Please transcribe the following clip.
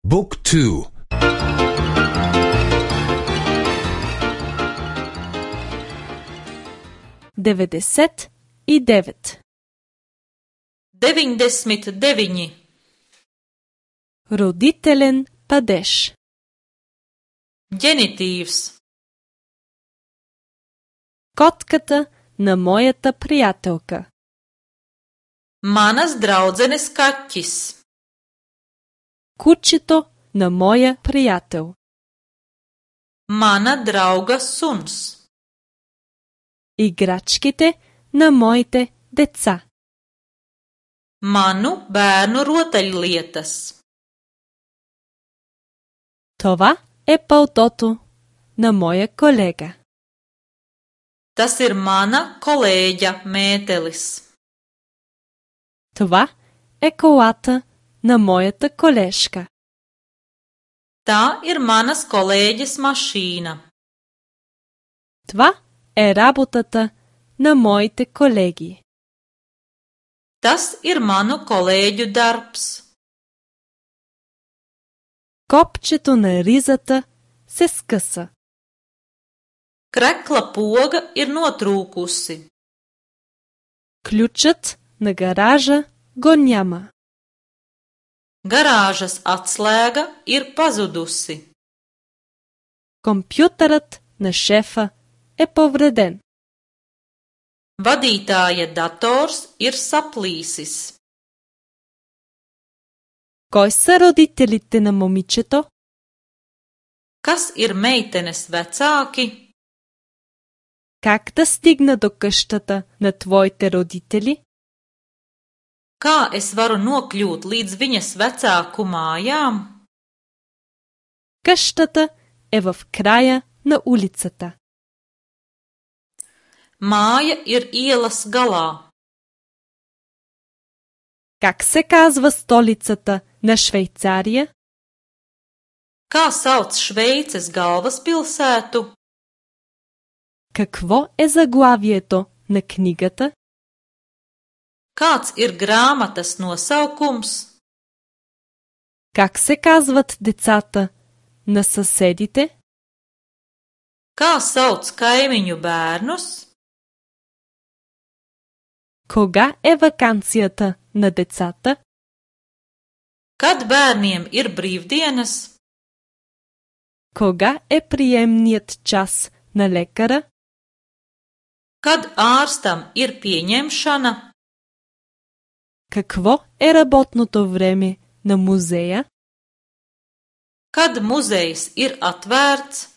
Book 2. 99. 99. Родителен падеж. Гениtīvs. Котката на моята приятелка. Manas draudzenes kaķis. Кучето на моя приятел. Mana drauga suns. Играчките на моите деца. Manu bērnu rotaļlietas. Това е палтото на моя колега. Tas ir mana kolēģa mētelis. Това е колата на моята колежка. Tā ir manas kolēģes mašīna. Това е работата на моите колеги. Tas ir manu kolēģu darbs. Копчето на ризата се скъса. Krekla poga ir notrūkusi. Ключът на гаража го няма. Garāžas atslēga ir pazudusi. Компютърът на шефа е повреден. Vadītāja dators ir saplīsis. Кой са родителите на момичето? Kas ir meitenes vecāki? Как да стигна до къщата на твоите родители? Kā es varu nokļūt līdz viņas vecāku mājām? Къщата е в края на улицата. Māja ir ielas galā. Как се казва столицата на Швейцария? Kā sauc Šveices galvaspilsētu? Какво е заглавието на книгата? Kāds ir grāmatas nosaukums? Как се казват децата на съседите? Kā sauc kaimiņu bērnus? Кога е ваканцията на децата? Kad bērniem ir brīvdienas? Кога е приемният час на лекара? Kad ārstam ir pieņemšana? Какво е работното време на музея? Kad muzejs ir atvērts?